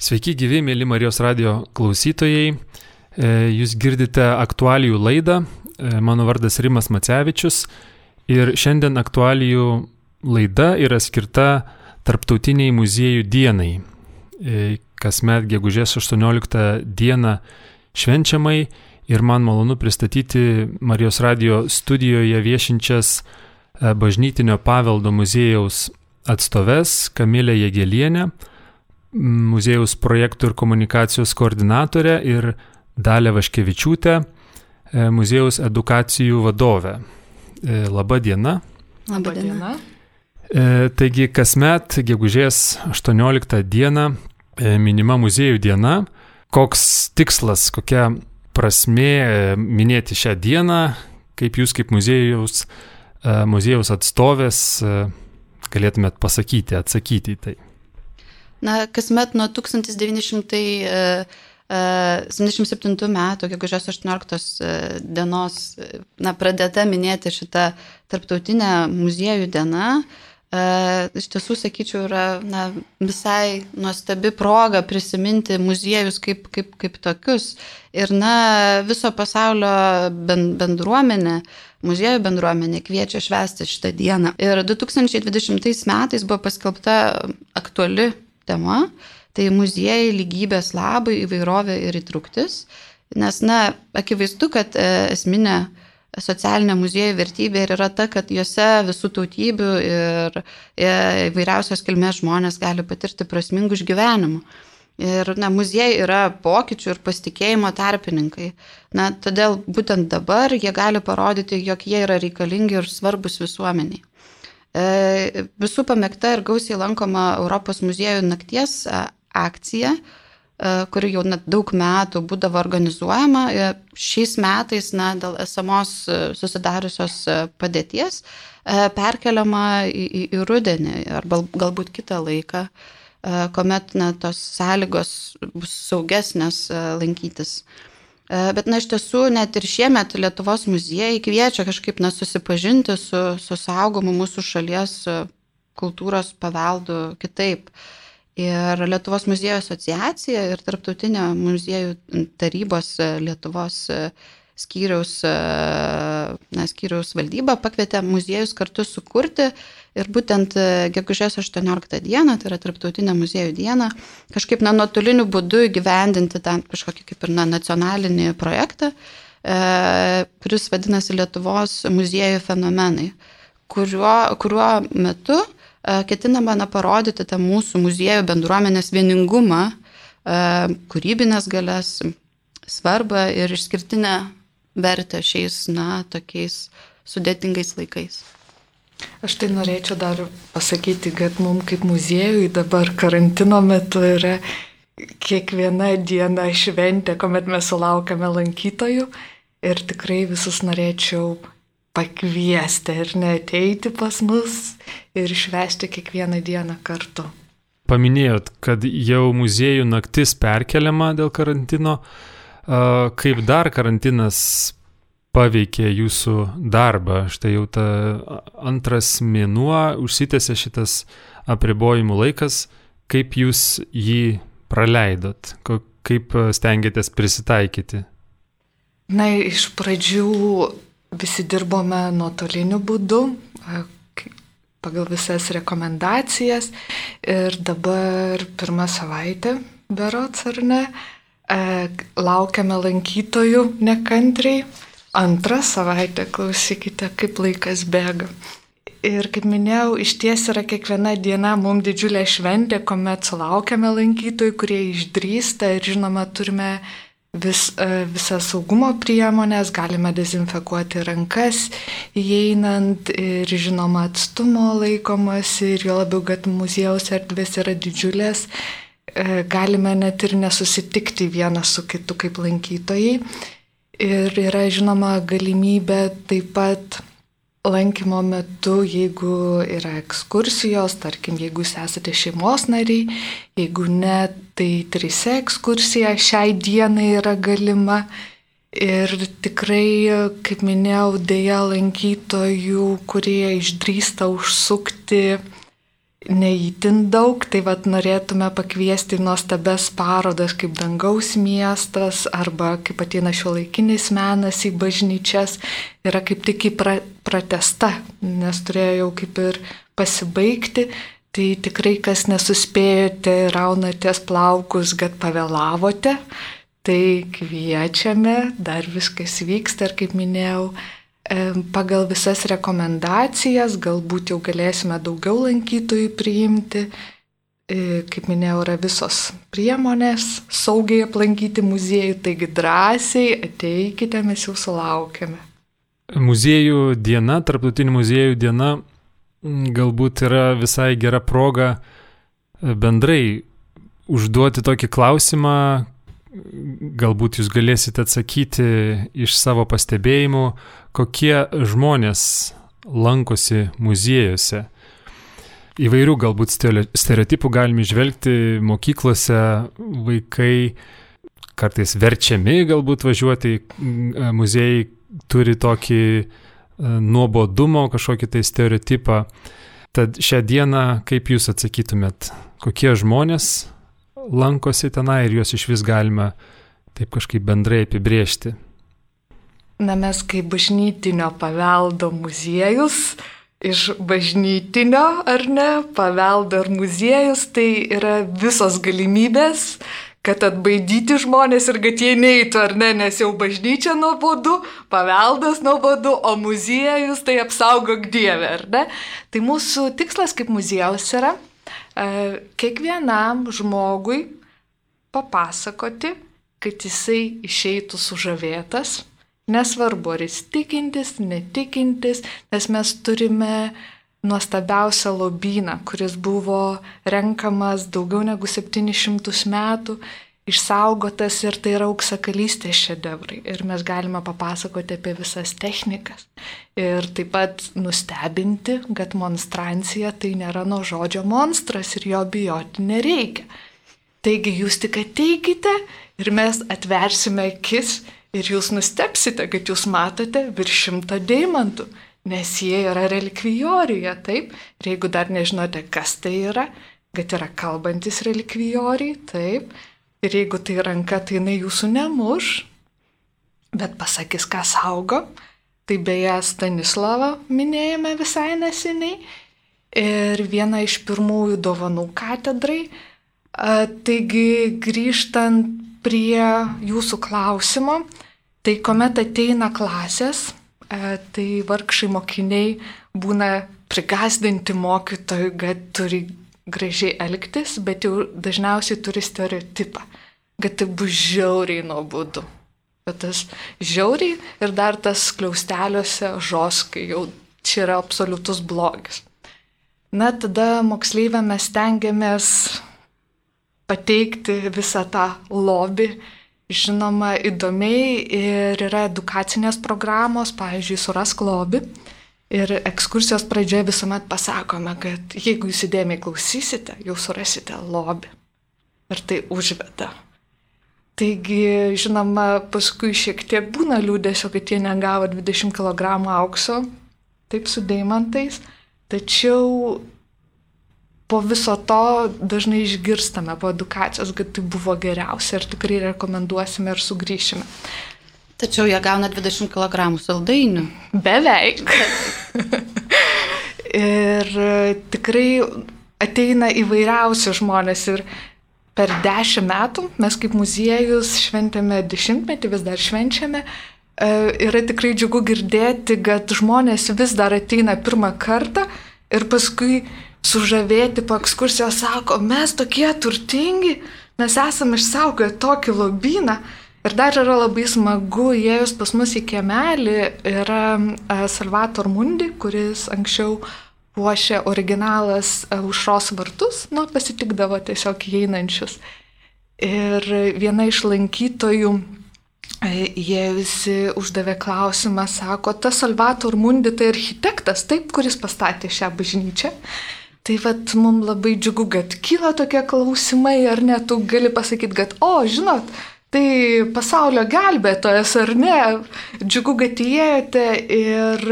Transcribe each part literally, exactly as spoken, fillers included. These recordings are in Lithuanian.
Sveiki gyvi, mėly Marijos radio klausytojai. Jūs girdite aktualijų laidą. Mano vardas Rimas Macevičius ir šiandien aktualijų laida yra skirta Tarptautiniai muziejų dienai. Kasmet gegužės aštuonioliktą dieną švenčiamai ir man malonu pristatyti Marijos radio studijoje viešinčias Bažnytinio paveldo muziejaus atstoves Kamilę Jagėlienę, muziejaus projektų ir komunikacijos koordinatorę ir Dalią Vaškevičiūtę, muziejaus edukacijų vadovę. Labą dieną. Labą dieną. Taigi kasmet gegužės aštuonioliktą dieną minima muziejų diena. Koks tikslas, kokia prasmė minėti šią dieną, kaip jūs kaip muziejaus, muziejaus atstovės galėtumėt pasakyti, atsakyti į tai? Na, kasmet nuo tūkstantis devyni šimtai septyniasdešimt septintų metų, gegužės aštuonioliktos dienos, na, pradėta minėti šitą tarptautinę muziejų dieną. Iš tiesų, sakyčiau, yra na, visai nuostabi proga prisiminti muziejus kaip, kaip, kaip tokius. Ir na, viso pasaulio bendruomenė, muziejų bendruomenė kviečia švęsti šitą dieną. Ir du tūkstančiai dvidešimtais metais buvo paskelbta aktuali tema, tai muziejai lygybės labai, įvairovė ir įtrauktis, nes, na, akivaizdu, kad esminė socialinė muziejų vertybė ir yra ta, kad juose visų tautybių ir įvairiausios kilmės žmonės gali patirti prasmingų išgyvenimų. Ir, na, muziejai yra pokyčių ir pasitikėjimo tarpininkai. Na, todėl būtent dabar jie gali parodyti, jog jie yra reikalingi ir svarbus visuomeniai. Visų pamėgta ir gausiai lankoma Europos muziejų nakties akcija, kuri jau net daug metų būdavo organizuojama. Šiais metais, na, dėl esamos susidariusios padėties perkeliama į, į, į rudenį arba galbūt kitą laiką, kuomet na, tos sąlygos bus saugesnės lankytis. Bet, na, iš tiesų, net ir šiemet Lietuvos muziejai kviečia kažkaip na, susipažinti su, su saugomu mūsų šalies kultūros paveldu kitaip. Ir Lietuvos muziejų asociacija ir Tarptautinė muziejų tarybos Lietuvos skyriaus, na, skyriaus valdyba pakvietė muziejus kartu sukurti ir būtent gegužės aštuonioliktą dieną, tai yra Tarptautinė muziejų diena, kažkaip na, nuotoliniu būdu įgyvendinti tą kažkokį kaip ir na, nacionalinį projektą, e, kuris vadinasi Lietuvos muziejų fenomenai, kuriuo, kuriuo metu e, ketinama na, parodyti tą mūsų muziejų bendruomenės vieningumą, e, kūrybinės galias, svarbą ir išskirtinę vertę šiais, na, tokiais sudėtingais laikais. Aš tai norėčiau dar pasakyti, kad mums kaip muziejui dabar karantino metu yra kiekviena diena šventė, kuomet mes sulaukiame lankytojų ir tikrai visus norėčiau pakviesti ir neateiti pas mus ir švęsti kiekvieną dieną kartu. Paminėjot, kad jau muziejų naktis perkeliama dėl karantino. Kaip dar karantinas paveikė jūsų darbą? Štai jau ta antras mėnuo užsitęsė šitas apribojimų laikas. Kaip jūs jį praleidot? Kaip stengiatės prisitaikyti? Na, iš pradžių visi dirbome nuotoliniu būdu, pagal visas rekomendacijas. Ir dabar pirmą savaitę, berods ar ne, laukiame lankytojų nekantriai. Antrą savaitę, klausykite, kaip laikas bėga. Ir kaip minėjau, iš ties yra kiekviena diena mums didžiulė šventė, kuomet sulaukiame lankytojų, kurie išdrįsta ir žinoma turime vis, visas saugumo priemonės, galime dezinfekuoti rankas įeinant ir žinoma atstumo laikomas ir jo labiau, kad muziejaus erdvės yra didžiulės, galime net ir nesusitikti vienas su kitu kaip lankytojai. Ir yra žinoma galimybė taip pat lankymo metu, jeigu yra ekskursijos, tarkim, jeigu jūs esate šeimos nariai, jeigu ne, tai trise ekskursija šiai dienai yra galima. Ir tikrai, kaip minėjau, dėja lankytojų, kurie išdrįsta užsukti neįtin daug, tai vat norėtume pakviesti nuostabes parodas kaip Dangaus miestas arba kaip ateina šiuolaikinis menas į bažnyčias, yra kaip tik į pra, pratesta, nes turėjo jau kaip ir pasibaigti, tai tikrai kas nesuspėjote, raunatės plaukus, kad pavėlavote, tai kviečiame, dar viskas vyksta ir kaip minėjau, pagal visas rekomendacijas, galbūt jau galėsime daugiau lankytojų priimti. Kaip minėjau, yra visos priemonės saugiai aplankyti muziejų, taigi drąsiai ateikite, mes jūsų laukiame. Muziejų diena, tarptautinių muziejų diena, galbūt yra visai gera proga bendrai užduoti tokį klausimą, galbūt jūs galėsite atsakyti iš savo pastebėjimų, kokie žmonės lankosi muziejuose. Įvairių galbūt stereotipų galime žvelgti mokyklose, vaikai kartais verčiami galbūt važiuoti, muziejai turi tokį nuobodumo, kažkokį tai stereotipą. Tad šią dieną, kaip jūs atsakytumėt, kokie žmonės lankosi tenai ir juos iš vis galima taip kažkaip bendrai apibrėžti? Na, mes kaip bažnytinio paveldo muziejus, iš bažnytinio ar ne, paveldo ir muziejus, tai yra visos galimybės, kad atbaidyti žmonės ir kad jie neitų, ar ne, nes jau bažnyčia nuobodu, paveldas nuobodu, o muziejus tai apsaugok Dieve, ar ne? Tai mūsų tikslas kaip muziejaus yra kiekvienam žmogui papasakoti, kad jisai išeitų sužavėtas, nesvarbu, ar jis tikintis, netikintis, nes mes turime nuostabiausią lobyną, kuris buvo renkamas daugiau negu septynis šimtus metų, išsaugotas ir tai yra auksakalystės šedevrai. Ir mes galime papasakoti apie visas technikas. Ir taip pat nustebinti, kad monstrancija tai nėra nuo žodžio monstras ir jo bijoti nereikia. Taigi jūs tik ateikite ir mes atversime akis ir jūs nustebsite, kad jūs matote virš šimto deimantų, nes jie yra relikvijoriuje, taip? Ir jeigu dar nežinote, kas tai yra, kad yra kalbantis relikvijoriai, taip? Ir jeigu tai ranka, tai jinai jūsų nemuš, bet pasakys, ką saugo. Tai beje Stanislavą minėjome visai neseniai. Ir viena iš pirmųjų dovanų katedrai. Taigi grįžtant prie jūsų klausimo, tai kuomet ateina klasės, tai vargšai mokiniai būna prigasdinti mokytojų, kad turi gražiai elgtis, bet jau dažniausiai turi stereotipą, kad tai bus žiauriai nuobodu. Bet tas žiauriai ir dar tas skliausteliuose žoskai, jau čia yra absoliutus blogis. Na, tada moksleiviam mes stengiamės pateikti visą tą lobį, žinoma, įdomiai, ir yra edukacinės programos, pavyzdžiui, Surask lobį. Ir ekskursijos pradžioje visuomet pasakome, kad jeigu jūs įdėmiai klausysite, jau surasite lobį. Ir tai užveda. Taigi, žinoma, paskui šiek tiek būna liūdėsio, kad jie negavo dvidešimt kilogramų aukso, taip su deimantais. Tačiau po viso to dažnai išgirstame po edukacijos, kad tai buvo geriausia ir tikrai rekomenduosime ir sugrįšime. Tačiau jie gauna dvidešimt kilogramų saldainių. Beveik. Ir tikrai ateina įvairiausi žmonės ir per dešimt metų mes kaip muziejus šventėme dešimtmetį, vis dar švenčiame. Yra tikrai džiugu girdėti, kad žmonės vis dar ateina pirmą kartą ir paskui sužavėti po ekskursijos sako, mes tokie turtingi, mes esame išsaugoję tokį lobyną. Ir dar yra labai smagu, įėjus pas mus į kiemelį, yra Salvator Mundi, kuris anksčiau puošė originalas Aušros vartus, nu, pasitikdavo tiesiog įeinančius. Ir viena iš lankytojų, jie visi uždavė klausimą, sako, tas Salvator Mundi tai architektas, taip, kuris pastatė šią bažnyčią. Tai vat mums labai džiugu, kad kyla tokie klausimai, ar ne, tu gali pasakyti, kad, o, žinot, tai pasaulio gelbėtojas, ar ne? Džiugu, kad įėjote ir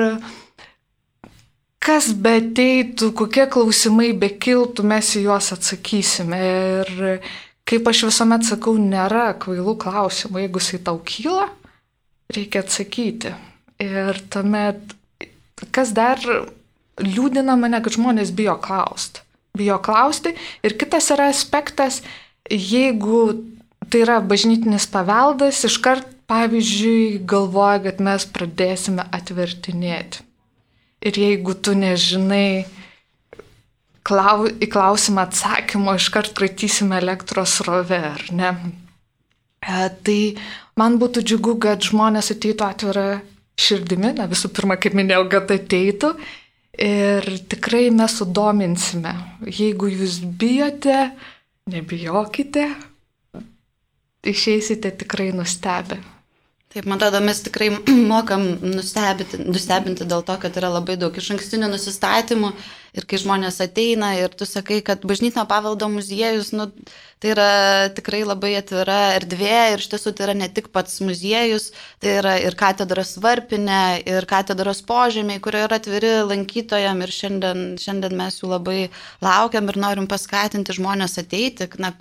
kas be ateitų, kokie klausimai be kiltų, mes į juos atsakysime. Ir kaip aš visuomet sakau, nėra kvailų klausimų. Jeigu jisai tau kyla, reikia atsakyti. Ir tuomet, kas dar liūdina mane, kad žmonės bijo klausti. Bijo klausti. Ir kitas yra aspektas, jeigu tai yra bažnytinis paveldas, iškart, pavyzdžiui, galvoja, kad mes pradėsime atvertinėti. Ir jeigu tu nežinai klau, į klausimą atsakymo, iškart kratysime elektros srovę, ar ne? E, tai man būtų džiugu, kad žmonės ateitų atvirą širdimi, na visų pirma, kaip minėjau, kad ateitų ir tikrai mes sudominsime. Jeigu jūs bijote, nebijokite, išeisite tikrai nustebę. Taip, man atrodo, mes tikrai mokam nustebinti, nustebinti dėl to, kad yra labai daug išankstinių nusistatymų ir kai žmonės ateina ir tu sakai, kad bažnytinio paveldo muziejus, nu, tai yra tikrai labai atvira erdvė ir iš tiesų tai yra ne tik pats muziejus, tai yra ir katedros varpinė, ir katedros požemiai, kurie yra atviri lankytojam ir šiandien, šiandien mes jų labai laukiam ir norim paskatinti žmonės ateiti, na,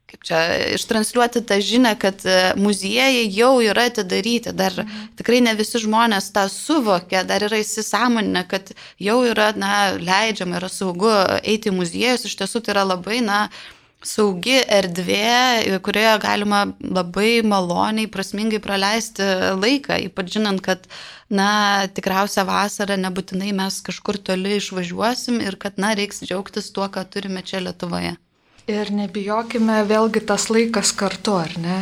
kaip čia, ištransliuoti tą žinią, kad muziejai jau yra atidaryti. Dar mhm. tikrai ne visi žmonės tą suvokia, dar yra įsisąmoninę, kad jau yra, na, leidžiama, yra saugu eiti į muziejus. Iš tiesų tai yra labai, na, saugi erdvė, kurioje galima labai maloniai, prasmingai praleisti laiką, ypač žinant, kad, na, tikriausia vasarą nebūtinai mes kažkur toli išvažiuosim ir kad, na, reiks džiaugtis tuo, ką turime čia Lietuvoje. Ir nebijokime vėlgi tas laikas kartu, ar ne?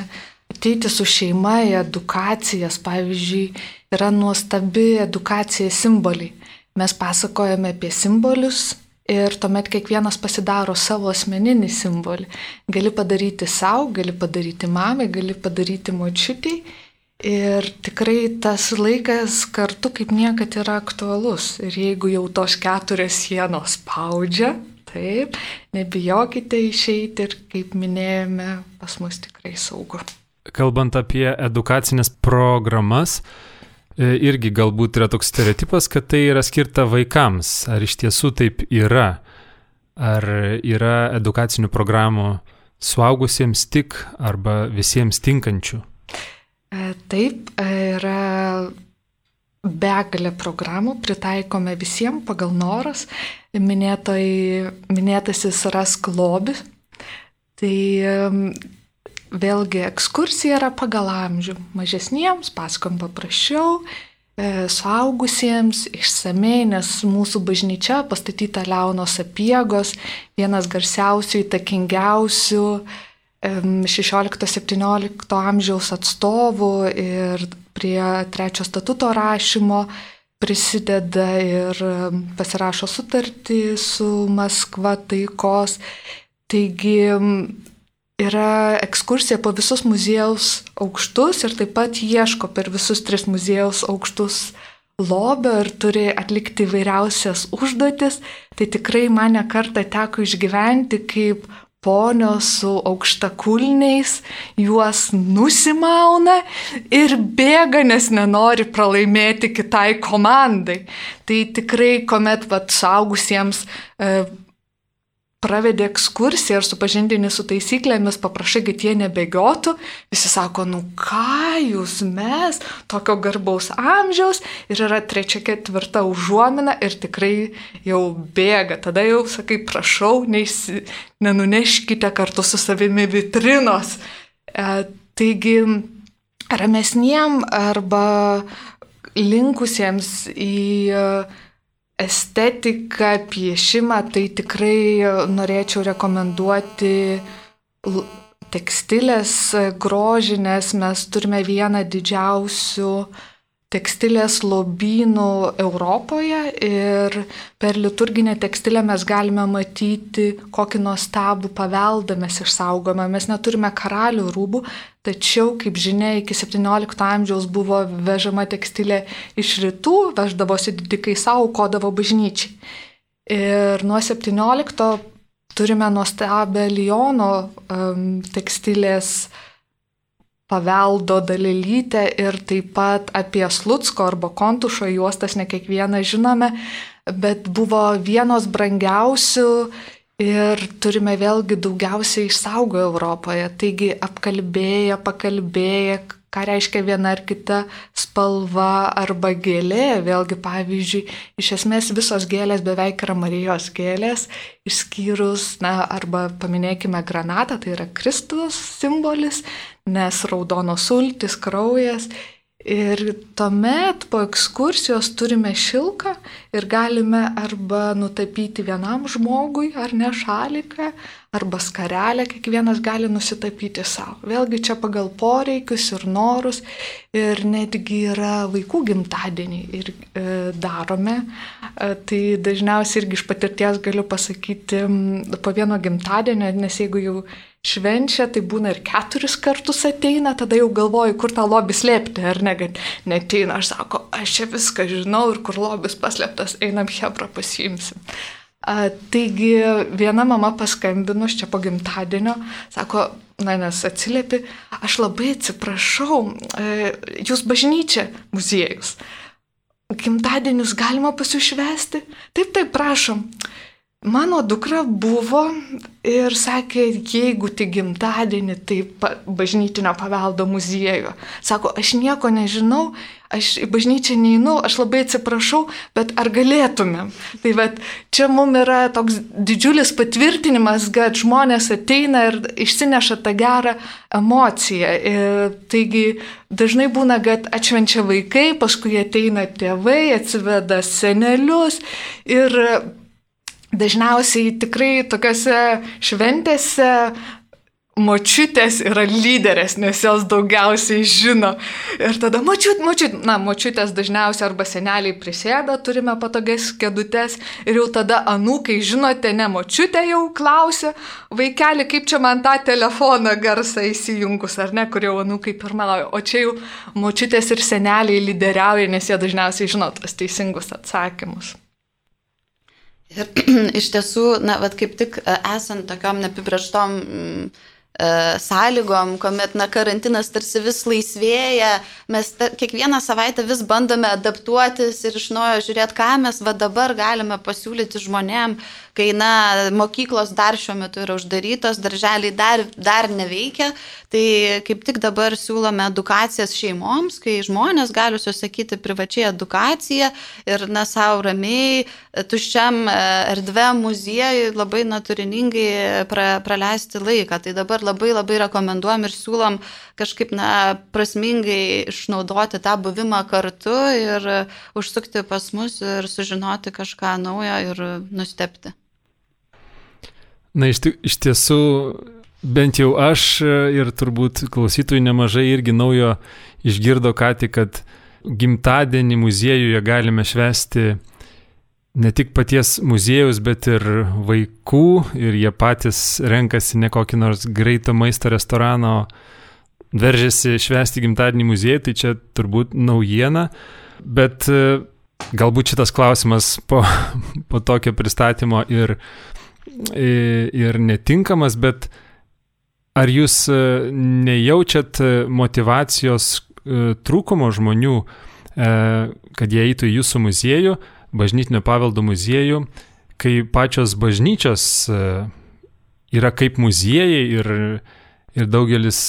Ateiti su šeima į edukacijas, pavyzdžiui, yra nuostabi edukacija simboliai. Mes pasakojame apie simbolius ir tuomet kiekvienas pasidaro savo asmeninį simbolį. Gali padaryti savo, gali padaryti mamai, gali padaryti močiutei. Ir tikrai tas laikas kartu kaip niekad yra aktualus. Ir jeigu jau tos keturios sienos spaudžia, taip, nebijokite išeiti ir, kaip minėjome, pas mus tikrai saugu. Kalbant apie edukacinės programas, irgi galbūt yra toks stereotipas, kad tai yra skirta vaikams. Ar iš tiesų taip yra? Ar yra edukacinių programų suaugusiems tik arba visiems tinkančių? Taip, yra begalė programų, pritaikome visiems pagal noras. Minėtoj, minėtasis Rask lobį. Tai vėlgi ekskursija yra pagal amžių. Mažesniems pasakojam paprasčiau, suaugusiems išsamei, nes mūsų bažnyčia pastatyta Leono Sapiegos, vienas garsiausių, įtakingiausių šešiolikto septyniolikto amžiaus atstovų ir prie trečio statuto rašymo prisideda ir pasirašo sutartį su Maskva taikos. Taigi yra ekskursija po visus muziejaus aukštus ir taip pat ieško per visus tris muziejaus aukštus lobio ir turi atlikti įvairiausias užduotis. Tai tikrai man ne kartą teko išgyventi, kaip ponios su aukštakulniais juos nusimauna ir bėga, nes nenori pralaimėti kitai komandai. Tai tikrai, kuomet vat, suaugusiems e, pravedė ekskursiją ir supažindini su taisyklėmis, paprašai, kad jie nebėgiotų, visi sako, nu ką jūs mes, tokio garbaus amžiaus, ir yra trečia, ketvirta užuomina ir tikrai jau bėga. Tada jau sakai, prašau, neįsi, nenuneškite kartu su savimi vitrinos. E, taigi, ramesniem arba linkusiems į estetiką, piešimą, tai tikrai norėčiau rekomenduoti tekstilės grožinės. Mes turime vieną didžiausių tekstilės lobynų Europoje ir per liturginę tekstilę mes galime matyti, kokį nuostabų paveldą mes išsaugome. Mes neturime karalių rūbų, tačiau, kaip žinia, iki septyniolikto amžiaus buvo vežama tekstilė iš rytų, veždavosi didikai savo, aukodavo bažnyčiai. Ir nuo septyniolikto turime nuostabę Liono um, tekstilės paveldo dalelytę ir taip pat apie Slucko arba Kontušo juostas, ne kiekvieną žinome, bet buvo vienos brangiausių ir turime vėlgi daugiausiai išsaugoję Europoje. Taigi apkalbėję, pakalbėję, ką reiškia viena ar kita spalva arba gėlė. Vėlgi, pavyzdžiui, iš esmės visos gėlės beveik yra Marijos gėlės, išskyrus, na, arba paminėkime granatą, tai yra Kristus simbolis, nes raudonos sultys, kraujas. Ir tuomet po ekskursijos turime šilką ir galime arba nutapyti vienam žmogui, ar ne šaliką, arba skarelę, kiekvienas gali nusitapyti savo. Vėlgi čia pagal poreikius ir norus, ir netgi yra vaikų gimtadieniai ir e, darome. E, tai dažniausiai irgi iš patirties galiu pasakyti po vieno gimtadienio, nes jeigu jau švenčia, tai būna ir keturis kartus ateina, tada jau galvoju, kur tą lobį slėpti, ar ne, kad neteina. Aš sako, aš čia viską žinau ir kur lobis paslėptas, einam Hebra pasiimsim. A, taigi viena mama paskambinus čia po gimtadienio, sako, na, nes atsiliepi, aš labai atsiprašau, e, jūs bažnyčia, muziejus, gimtadienius galima pasišvesti? Taip, taip, prašom. Mano dukra buvo ir sakė, jeigu tik gimtadienį, tai bažnytinio paveldo muziejų. Sako, aš nieko nežinau, aš į bažnyčią neinu, aš labai atsiprašau, bet ar galėtumėm? Tai vat, čia mums yra toks didžiulis patvirtinimas, kad žmonės ateina ir išsineša tą gerą emociją. Ir, taigi dažnai būna, kad atšvenčia vaikai, paskui ateina tėvai, atsiveda senelius ir dažniausiai tikrai tokiose šventėse močiutės yra lyderės, nes jos daugiausiai žino. Ir tada močiut, močiut, na, močiutės dažniausiai arba seneliai prisėda, turime patogias kėdutės ir jau tada anūkai, žinote, ne močiutė jau klausia, vaikeli, kaip čia man tą telefoną garsą įsijungus, ar ne, kur jau anūkai pirmauja. O čia jau močiutės ir seneliai lyderiauja, nes jie dažniausiai žino tos teisingus atsakymus. Ir iš tiesų, na, vat kaip tik esant tokiom neapibrėžtom mm, e, sąlygom, kuomet, na, karantinas tarsi vis laisvėja, mes ta, kiekvieną savaitę vis bandome adaptuotis ir iš naujo žiūrėti, ką mes va dabar galime pasiūlyti žmonėm, kai, na, mokyklos dar šiuo metu yra uždarytos, darželiai dar, dar neveikia, tai kaip tik dabar siūlome edukacijas šeimoms, kai žmonės gali susakyti privačiai edukaciją ir, na, savo ramiai, tuščiam erdvėm muziejui labai natūriningai pra, praleisti laiką. Tai dabar labai labai rekomenduojam ir siūlom kažkaip, na, prasmingai išnaudoti tą buvimą kartu ir užsukti pas mus ir sužinoti kažką naujo ir nustebti. Na, iš, iš tiesų, bent jau aš ir turbūt klausytojų nemažai irgi naujo išgirdo ką tik, kad gimtadienį muziejuje galime švęsti ne tik paties muziejaus, bet ir vaikų, ir jie patys renkasi ne kokį nors greito maisto restorano, veržiasi švęsti gimtadienį muziejui, tai čia turbūt naujiena, bet galbūt šitas klausimas po, po tokio pristatymo ir ir netinkamas, bet ar jūs nejaučiat motyvacijos trūkumo žmonių, kad jie eitų į jūsų muziejų, bažnytinio paveldo muziejų, kai pačios bažnyčios yra kaip muziejai ir, ir daugelis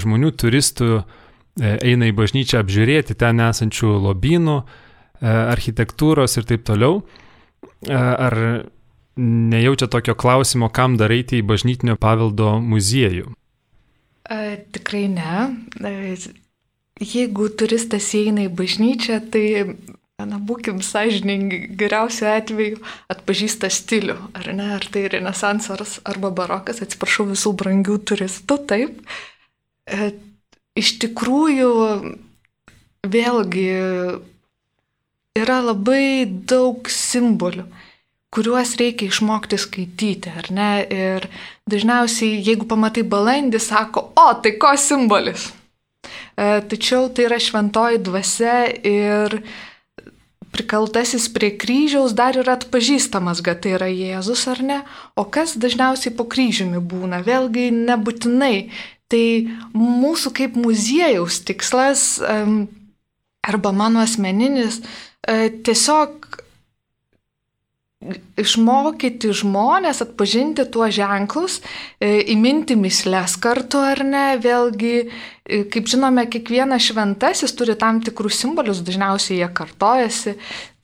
žmonių, turistų eina į bažnyčią apžiūrėti ten esančių lobynų, architektūros ir taip toliau. Ar nejaučia tokio klausimo, kam dar eiti į bažnytinio paveldo muziejų? E, tikrai ne. E, jeigu turistas eina į bažnyčią, tai, na, būkim sąžiningi, geriausiu atveju atpažįsta stilių, ar ne, ar tai renesansas arba barokas, atsiprašau visų brangių turistų, taip. E, iš tikrųjų, vėlgi, yra labai daug simbolių, kuriuos reikia išmokti skaityti, ar ne? Ir dažniausiai, jeigu pamatai balandį, sako, o, tai ko simbolis? E, tačiau tai yra šventoji dvasia ir prikaltasis prie kryžiaus dar yra atpažįstamas, kad tai yra Jėzus, ar ne? O kas dažniausiai po kryžiumi būna? Vėlgi nebūtinai. Tai mūsų kaip muziejaus tikslas, arba mano asmeninis, tiesiog išmokyti žmonės atpažinti tuos ženklus, įminti mįsles kartu ar ne, vėlgi, kaip žinome, kiekvienas šventasis turi tam tikrus simbolius, dažniausiai jie kartojasi,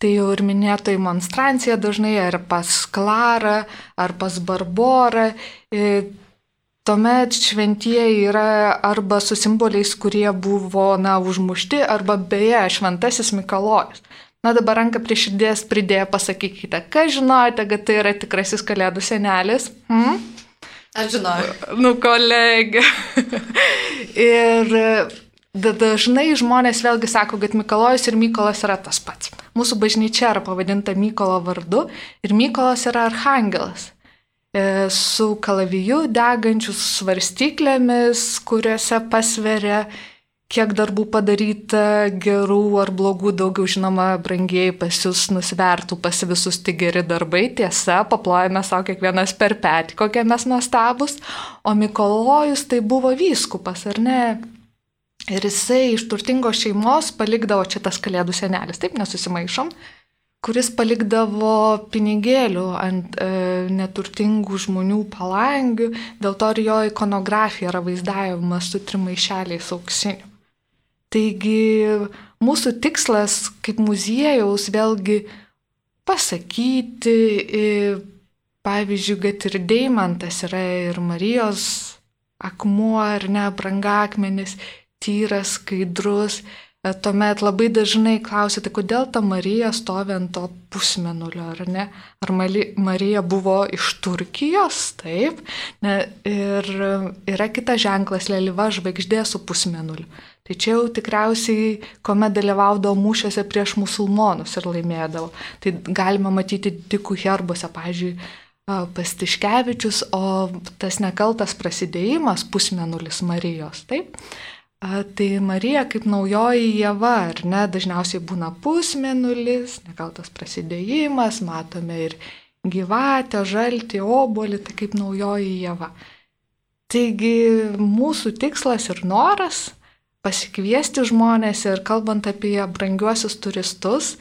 tai jau ir minėtoji monstrancija dažnai, ar pas Klarą, ar pas Barborą. Tuomet šventieji yra arba su simboliais, kurie buvo, na, užmušti, arba beje, šventasis Mikalojus. Na, dabar ranką prie širdies pridėję pasakykite, kas žinojote, kad tai yra tikrasis Kalėdų senelis? Hmm? Aš žinojau. Nu, kolegė. Ir dažnai žmonės vėlgi sako, kad Mikalojus ir Mykolas yra tas pats. Mūsų bažnyčia yra pavadinta Mykolo vardu ir Mykolas yra archangelas. Su kalaviju degančius svarstyklėmis, kuriuose pasveria, kiek darbų padaryta, gerų ar blogų, daugiau žinoma, brangieji pas jūs nusvertų pas visus tik geri darbai, tiesa, paplojame savo kiekvienas per petį, kokie mes nuostabus, o Mikalojus tai buvo vyskupas, ar ne? Ir jisai iš turtingos šeimos palikdavo čia tas Kalėdų senelis, taip nesusimaišom, kuris palikdavo pinigėlių ant e, neturtingų žmonių palangių, dėl to ir jo ikonografija yra vaizdavimas su trim maišeliais auksinių. Taigi mūsų tikslas kaip muziejaus vėlgi pasakyti, pavyzdžiui, kad ir deimantas yra ir Marijos akmuo, ar ne, brangakmenis, tyras, skaidrus. Tuomet labai dažnai klausite, kodėl ta Marija stovi ant to pusmėnulio, ar ne? Ar Marija buvo iš Turkijos? Taip. Ne, ir yra kitas ženklas, leliva žvaigždė su pusmėnuliu. Tai čia jau tikriausiai, kuomet dalyvaudavo mūšiuose prieš musulmonus ir laimėdavo. Tai galima matyti dikų herbuose, pavyzdžiui, pas Tiškevičius, o tas nekaltas prasidėjimas pusmėnulis Marijos, taip? Tai Marija kaip naujoji Ieva, ar ne, dažniausiai būna pusmėnulis, nekaltas prasidėjimas, matome ir gyvatę, žaltį, obuolį, tai kaip naujoji Ieva. Taigi mūsų tikslas ir noras pasikviesti žmonės ir kalbant apie brangiuosius turistus,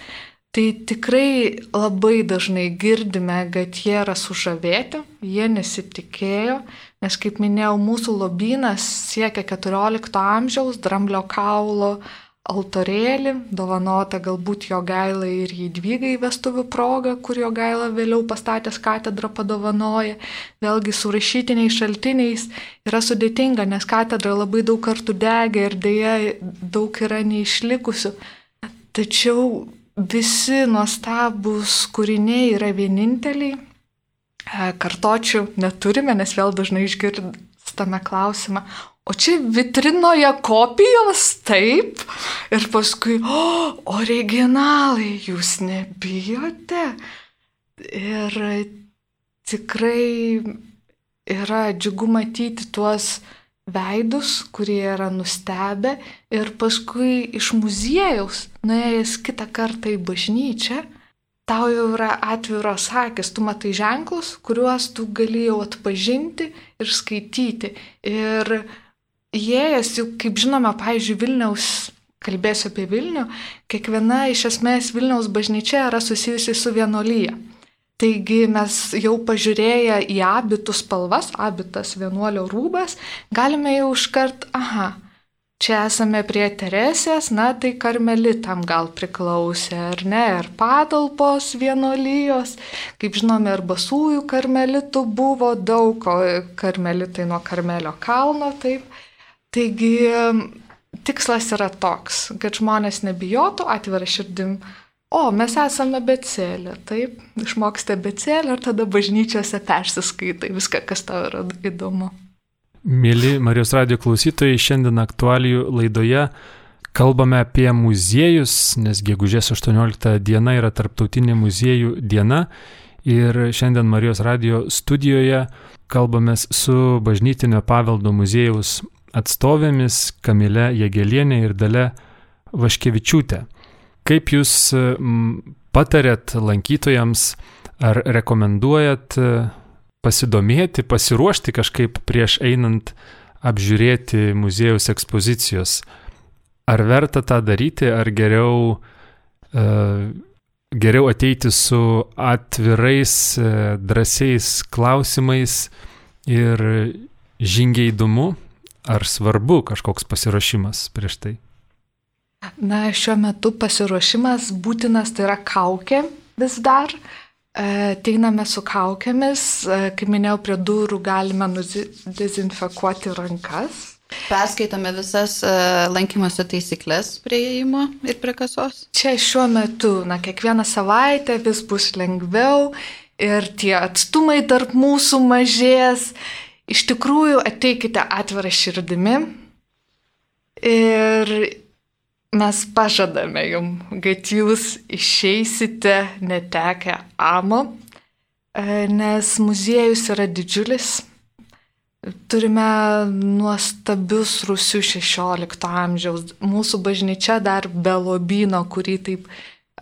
tai tikrai labai dažnai girdime, kad jie yra sužavėti, jie nesitikėjo, nes, kaip minėjau, mūsų lobynas siekia keturiolikto amžiaus, dramblio kaulo altorėlį, dovanota galbūt Jogailai ir Jadvygai vestuvių proga, kur Jogaila vėliau pastatęs katedrą padovanoja. Vėlgi su rašytiniais šaltiniais yra sudėtinga, nes katedra labai daug kartų degė ir dėja daug yra neišlikusių. Tačiau visi nuostabūs kūriniai yra vieninteliai. Kartočių neturime, nes vėl dažnai išgirstame klausimą, o čia vitrinoje kopijos, taip? Ir paskui, o, originalai, jūs nebijote? Ir tikrai yra džiugu matyti tuos veidus, kurie yra nustebę ir paskui iš muziejaus, nuėjęs kitą kartą į bažnyčią, tau jau yra atviros akis, tu matai ženklus, kuriuos tu gali jau atpažinti ir skaityti. Ir įėjęs, jau kaip žinome, pavyzdžiui, Vilniaus, kalbėsiu apie Vilnių, kiekviena iš esmės Vilniaus bažnyčia yra susijusi su vienuolija. Taigi mes jau pažiūrėję į abitų spalvas, abitas vienuolio rūbas, galime jau iškart, aha, čia esame prie Teresės, na tai karmelitam gal priklausė, ar ne, ir patalpos vienuolijos, kaip žinome, ir basųjų karmelitų buvo daug, o karmelitai nuo Karmelio kalno, taip. Taigi tikslas yra toks, kad žmonės nebijotų, atvira širdim, o, mes esame abėcėlė, taip, išmokste abėcėlę ir tada bažnyčiose persiskaitai viską, kas tau yra įdomu. Mėly Marijos radijo klausytojai, šiandien aktualijų laidoje kalbame apie muziejus, nes gegužės aštuoniolikta diena yra tarptautinė muziejų diena ir šiandien Marijos radijo studijoje kalbamės su Bažnytinio paveldo muziejaus atstovėmis Kamile Jagelienė ir Dalia Vaškevičiūtė. Kaip jūs patarėt lankytojams ar rekomenduojat pasidomėti, pasiruošti kažkaip prieš einant apžiūrėti muziejaus ekspozicijos? Ar verta tą daryti, ar geriau uh, geriau ateiti su atvirais, drąsiais klausimais ir žingeidumu, ar svarbu kažkoks pasiruošimas prieš tai? Na, šiuo metu pasiruošimas būtinas, tai yra kaukė vis dar. Ateiname su kaukėmis, kaip minėjau, prie durų galime dezinfekuoti rankas. Perskaitome visas lankymosi taisyklės prie įėjimo ir prie kasos. Čia šiuo metu, na, kiekvieną savaitę vis bus lengviau ir tie atstumai tarp mūsų mažės. Iš tikrųjų, ateikite atvirą širdimi ir mes pažadame jums, kad jūs išeisite netekę amo, nes muziejus yra didžiulis. Turime nuostabius rūsius šešiolikto amžiaus. Mūsų bažnyčia dar be lobyno, kurį taip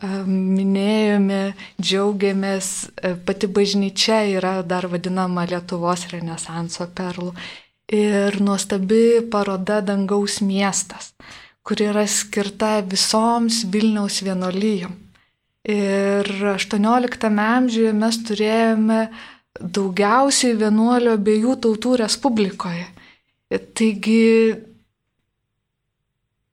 minėjome, džiaugiamės. Pati bažnyčia yra dar vadinama Lietuvos renesanso perlų. Ir nuostabi paroda Dangaus miestas, kuri yra skirta visoms Vilniaus vienuolijom. Ir aštuonioliktame amžiuje mes turėjome daugiausiai vienuolių abiejų tautų Respublikoje. Taigi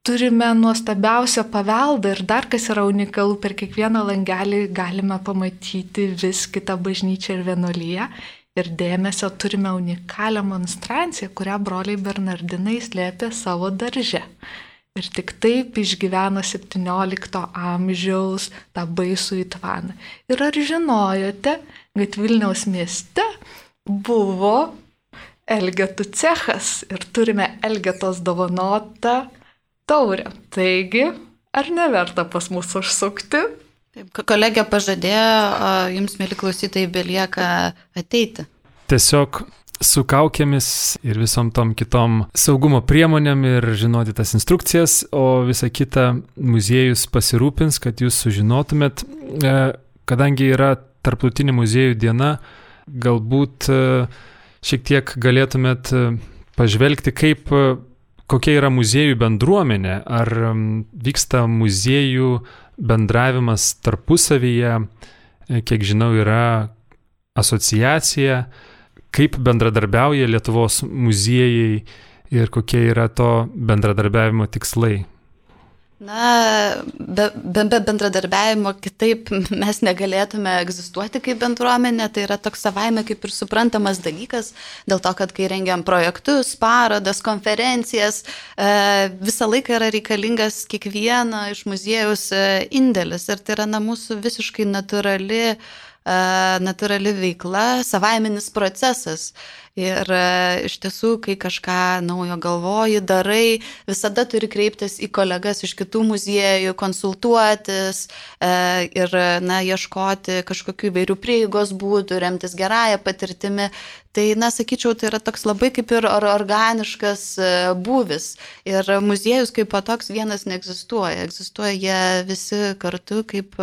turime nuostabiausią paveldą ir dar kas yra unikalu, per kiekvieną langelį galime pamatyti vis kitą bažnyčią ir vienuoliją. Ir dėmesio turime unikalią monstranciją, kurią broliai Bernardinai slėpė savo darže. Ir tik taip išgyveno septyniolikto amžiaus tą baisų įtvaną. Ir ar žinojote, kad Vilniaus mieste buvo Elgetų cechas ir turime Elgetos dovanotą taurę. Taigi, ar neverta pas mus užsukti? Taip, kolegė pažadėjo, jums, mėly klausytojai, belieka ateiti. Tiesiog su kaukėmis ir visom tom kitom saugumo priemonėm ir žinoti tas instrukcijas, o visa kita muziejus pasirūpins, kad jūs sužinotumėt. Kadangi yra Tarptautinė muziejų diena, galbūt šiek tiek galėtumėt pažvelgti, kaip, kokia yra muziejų bendruomenė, ar vyksta muziejų bendravimas tarpusavyje, kiek žinau, yra asociacija, kaip bendradarbiauja Lietuvos muziejai ir kokie yra to bendradarbiavimo tikslai. Na, be, be, be bendradarbiavimo kitaip mes negalėtume egzistuoti kaip bendruomenė, tai yra toks savaime kaip ir suprantamas dalykas, dėl to, kad kai rengiam projektus, parodas, konferencijas, e, visą laiką yra reikalingas kiekvieno iš muziejaus indėlis ir tai yra na, mūsų visiškai natūrali natūrali veikla, savaiminis procesas. Ir iš tiesų, kai kažką naujo galvoji, darai, visada turi kreiptis į kolegas iš kitų muziejų, konsultuotis ir na, ieškoti kažkokių įvairių prieigos būdų, remtis gerąją patirtimi. Tai, na, sakyčiau, tai yra toks labai kaip ir organiškas būvis. Ir muziejus kaip toks vienas neegzistuoja. Egzistuoja jie visi kartu kaip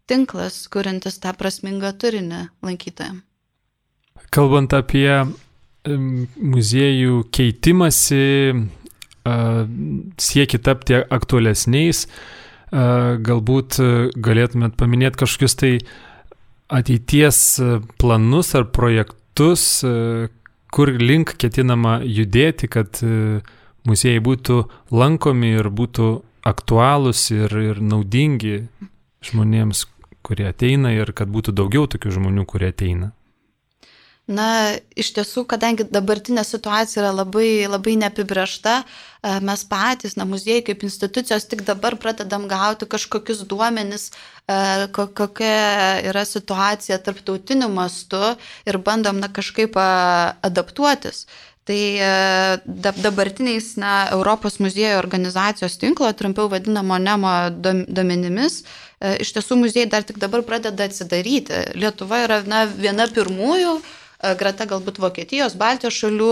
tinklas, kuriantis tą prasmingą turinį lankytojams. Kalbant apie muziejų keitimąsi, siekį tapti aktualesniais, galbūt galėtumėt paminėti kažkokius tai ateities planus ar projektus, kur link ketinama judėti, kad muziejai būtų lankomi ir būtų aktualūs ir, ir naudingi žmonėms, kurie ateina ir kad būtų daugiau tokių žmonių, kurie ateina. Na, iš tiesų, kadangi dabartinė situacija yra labai, labai neapibrėžta, mes patys, na, muziejai kaip institucijos tik dabar pradedam gauti kažkokius duomenis, kokia yra situacija tarptautiniu mastu ir bandom, na, kažkaip adaptuotis. Tai dabartiniais na, Europos muziejų organizacijos tinklo, trumpiau vadinamo NEMO duomenimis, iš tiesų muziejai dar tik dabar pradeda atsidaryti. Lietuva yra na, viena pirmųjų, greta galbūt Vokietijos, Baltijos šalių,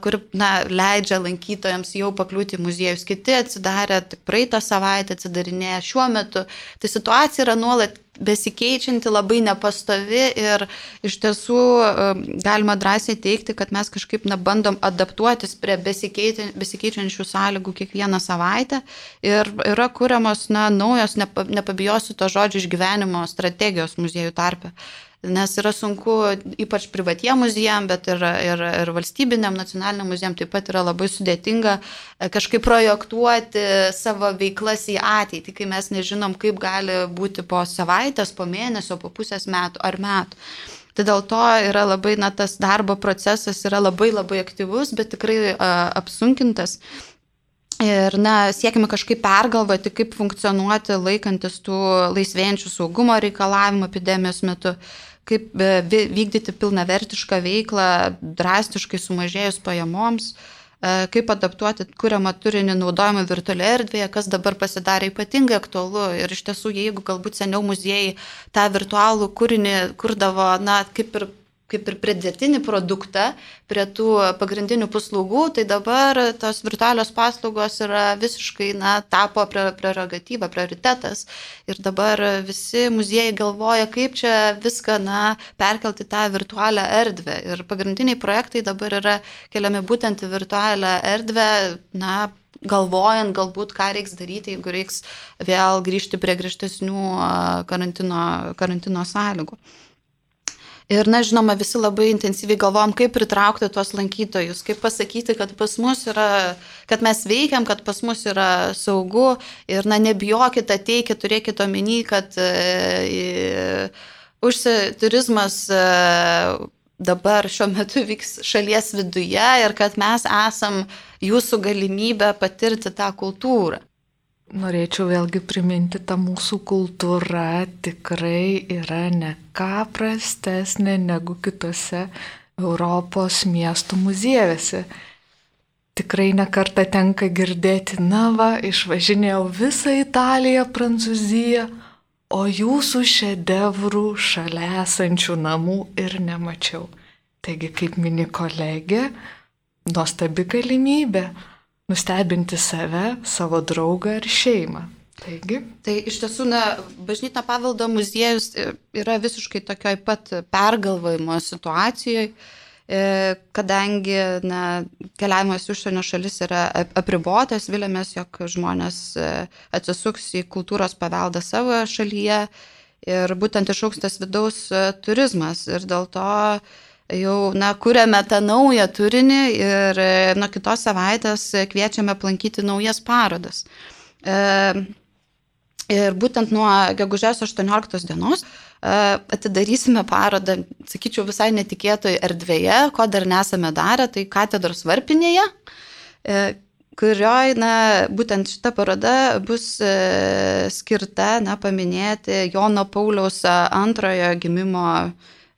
kuri na, leidžia lankytojams jau pakliūti į muziejus. Kiti atsidarė tik praeitą savaitę, atsidarinėja šiuo metu. Tai situacija yra nuolat besikeičianti, labai nepastovi ir iš tiesų galima drąsiai teikti, kad mes kažkaip na, bandom adaptuotis prie besikeičiančių sąlygų kiekvieną savaitę ir yra kuriamos na, naujos, nepabijosiu to žodžio, išgyvenimo strategijos muziejų tarpe. Nes yra sunku, ypač privatiem muziejam, bet ir, ir, ir valstybiniam, nacionaliniam muziejam taip pat yra labai sudėtinga kažkaip projektuoti savo veiklas į ateitį, kai mes nežinom, kaip gali būti po savaitės, po mėnesio, po pusės metų ar metų. Tai dėl to yra labai, na, tas darbo procesas yra labai labai aktyvus, bet tikrai a, apsunkintas. Ir, na, siekime kažkaip pergalvoti, kaip funkcionuoti laikantis tų laisvėjančių saugumo reikalavimų epidemijos metu, kaip vykdyti pilnavertišką veiklą, drastiškai sumažėjus pajamoms, kaip adaptuoti kuriamą turinį naudojimą virtualioje erdvėje, kas dabar pasidarė ypatingai aktualu. Ir iš tiesų, jeigu galbūt seniau muziejai tą virtualų kūrinį kurdavo, na, kaip ir kaip ir pridėtinį produktą prie tų pagrindinių paslaugų, tai dabar tos virtualios paslaugos yra visiškai, na, tapo prerogatyva, prioritetas. Ir dabar visi muziejai galvoja, kaip čia viską, na, perkelti tą virtualią erdvę. Ir pagrindiniai projektai dabar yra keliami būtent į virtualią erdvę, na, galvojant galbūt, ką reiks daryti, jeigu reiks vėl grįžti prie griežtesnių karantino, karantino sąlygų. Ir, na, žinoma, visi labai intensyviai galvojam, kaip pritraukti tuos lankytojus, kaip pasakyti, kad pas mus yra, kad mes veikiam, kad pas mus yra saugu ir, na, nebijokit, ateikit, turėkit omeny, kad e, užsi turizmas e, dabar šiuo metu vyks šalies viduje ir kad mes esam jūsų galimybę patirti tą kultūrą. Norėčiau vėlgi priminti, ta mūsų kultūra tikrai yra ne ką prastesnė negu kitose Europos miestų muziejuose. Tikrai nekartą tenka girdėti, na va, išvažinėjau visą Italiją, Prancūziją, o jūsų šedevrų šalia esančių namų ir nemačiau. Taigi, kaip mini kolegė, nuostabi galimybė nustebinti save, savo draugą ir šeimą. Taigi. Tai iš tiesų, na, bažnytinio paveldo muziejus yra visiškai tokioj pat pergalvojimo situacijoje, kadangi, na, keliavimas į užsienio šalis yra apribotas, vilėmės, jog žmonės atsisuks į kultūros paveldą savo šalyje ir būtent išaugs tas vidaus turizmas ir dėl to jau, na, kuriame tą naują turinį ir nuo kitos savaitės kviečiame aplankyti naujas parodas. E, ir būtent nuo gegužės aštuonioliktos dienos e, atidarysime parodą, sakyčiau, visai netikėtoj erdvėje, ko dar nesame darę, tai katedros varpinėje, e, kurioj, na, būtent šita paroda bus e, skirta, na, paminėti Jono Pauliaus antrojo gimimo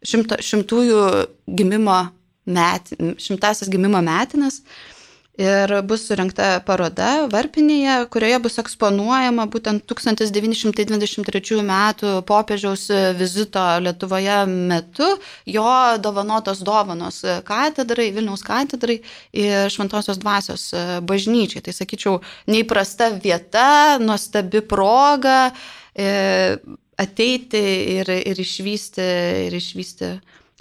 Šimto, šimtųjų gimimo met, šimtasis gimimo metinas ir bus surengta paroda varpinėje, kurioje bus eksponuojama būtent tūkstantis devyni šimtai dvidešimt trečiųjų metų popiežiaus vizito Lietuvoje metu jo dovanotos dovanos katedrai, Vilniaus katedrai ir Šventosios dvasios bažnyčiai. Tai, sakyčiau, neįprasta vieta, nuostabi proga e, ateiti ir, ir, išvysti, ir išvysti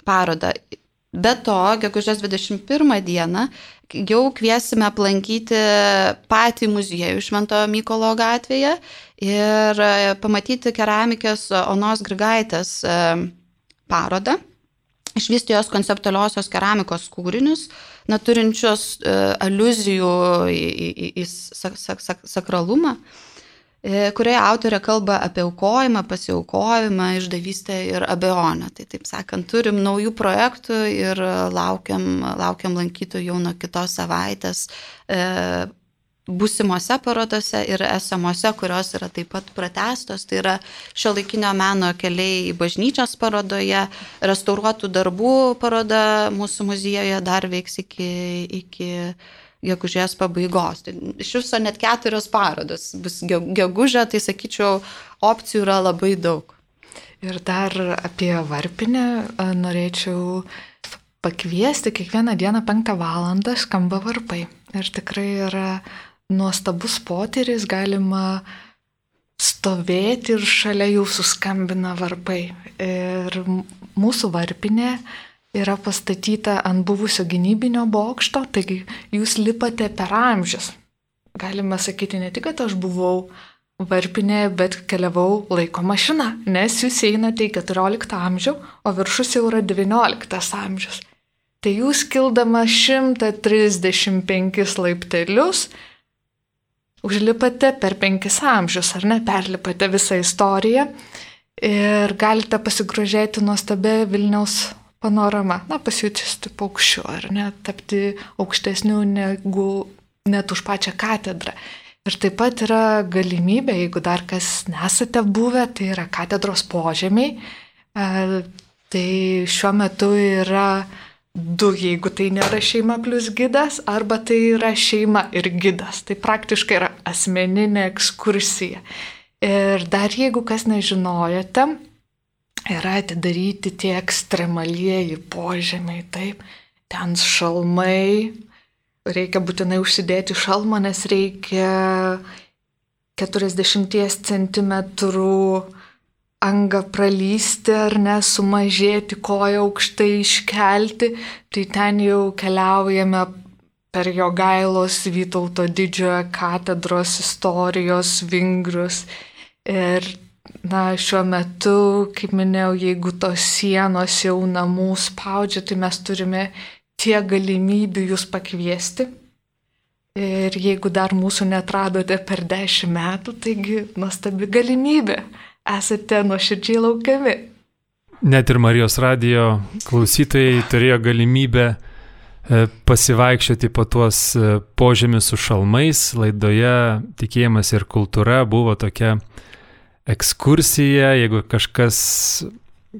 parodą. Be to, gegužės dvidešimt pirmą dieną jau kviesime aplankyti patį muziejų Švento Mykolo gatvėje ir pamatyti keramikės Onos Grigaitės parodą, išvysti jos konceptualiosios keramikos kūrinius, na, turinčios aliuzijų į, į, į sak, sak, sak, sakralumą, kurioje autorė kalba apie aukojimą, pasiaukojimą, išdavystę ir abejonę. Tai, taip sakant, turim naujų projektų ir laukiam, laukiam lankytojų jau nuo kitos savaitės e, būsimose parodose ir esamose, kurios yra taip pat pratęstos. Tai yra šiuolaikinio meno keliai į bažnyčios parodoje, restauruotų darbų paroda mūsų muziejuje dar veiks iki... iki gegužės pabaigos. Tai iš viso net keturios parodos bus gegužę, tai sakyčiau, opcijų yra labai daug. Ir dar apie varpinę norėčiau pakviesti, kiekvieną dieną penktą valandą skamba varpai. Ir tikrai yra nuostabus potyris, galima stovėti ir šalia jūsų skambina varpai. Ir mūsų varpinė yra pastatyta ant buvusio gynybinio bokšto, taigi jūs lipate per amžius. Galime sakyti ne tik, kad aš buvau varpinė, bet keliavau laiko mašina, nes jūs einate į keturioliktą amžių, o viršus jau yra devynioliktas amžius. Tai jūs kildama šimtą trisdešimt penkis laiptelius, užlipate per penkis amžius, ar ne, perlipate visą istoriją ir galite pasigrožėti nuostabia Vilniaus panorama. Na, pasijučisti paukščiu, ar ne, tapti aukštesniu negu net už pačią katedrą. Ir taip pat yra galimybė, jeigu dar kas nesate buvę, tai yra katedros požemiai. E, tai šiuo metu yra du, jeigu tai nėra šeima plus gidas, arba tai yra šeima ir gidas. Tai praktiškai yra asmeninė ekskursija. Ir dar jeigu kas nežinojote, yra atidaryti tie ekstremalieji požemiai, taip, ten šalmai, reikia būtinai užsidėti šalmą, nes reikia keturiasdešimt centimetrų angą pralysti ar ne, sumažėti, koją aukštai iškelti, tai ten jau keliaujame per Jogailos Vytauto didžiojo katedros istorijos vingrius. Ir na, šiuo metu, kaip minėjau, jeigu tos sienos jau namų spaudžia, tai mes turime tiek galimybių jūs pakviesti. Ir jeigu dar mūsų neatradote per dešimt metų, taigi nuostabi galimybė. Esate nuoširdžiai laukiami. Net ir Marijos radijo klausytojai turėjo galimybę pasivaikščioti po tuos požemius su šalmais. Laidoje Tikėjimas ir kultūra buvo tokia ekskursija. Jeigu kažkas,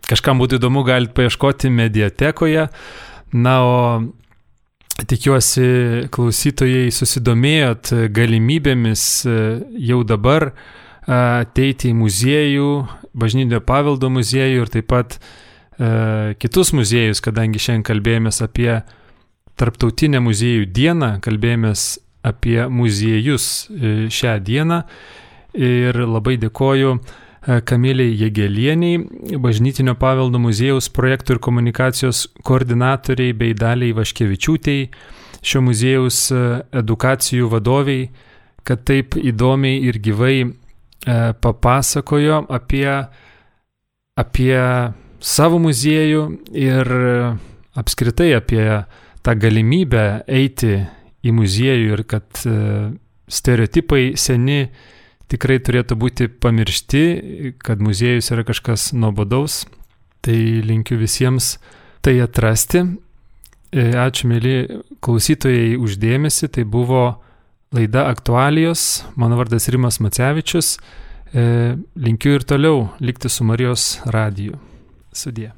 kažkam būtų įdomu, galite paieškoti mediatekoje. Na, o tikiuosi klausytojai susidomėjot galimybėmis jau dabar ateiti į muziejų, bažnytinio paveldo muziejų ir taip pat e, kitus muziejus, kadangi šiandien kalbėjomės apie Tarptautinę muziejų dieną, kalbėjomės apie muziejus šią dieną ir labai dėkoju Kamilei Jegelieniai, bažnytinio paveldo muziejaus projektų ir komunikacijos koordinatoriai bei Daliai Vaškevičiūtei, šio muziejaus edukacijų vadoviai, kad taip įdomiai ir gyvai papasakojo apie, apie savo muziejų ir apskritai apie tą galimybę eiti į muziejų ir kad stereotipai seni tikrai turėtų būti pamiršti, kad muziejus yra kažkas nuobodaus. Tai linkiu visiems tai atrasti. Ačiū, mėly klausytojai, už dėmesį. Tai buvo laida Aktualijos. Mano vardas Rimas Macevičius. Linkiu ir toliau likti su Marijos radiju. Sudie.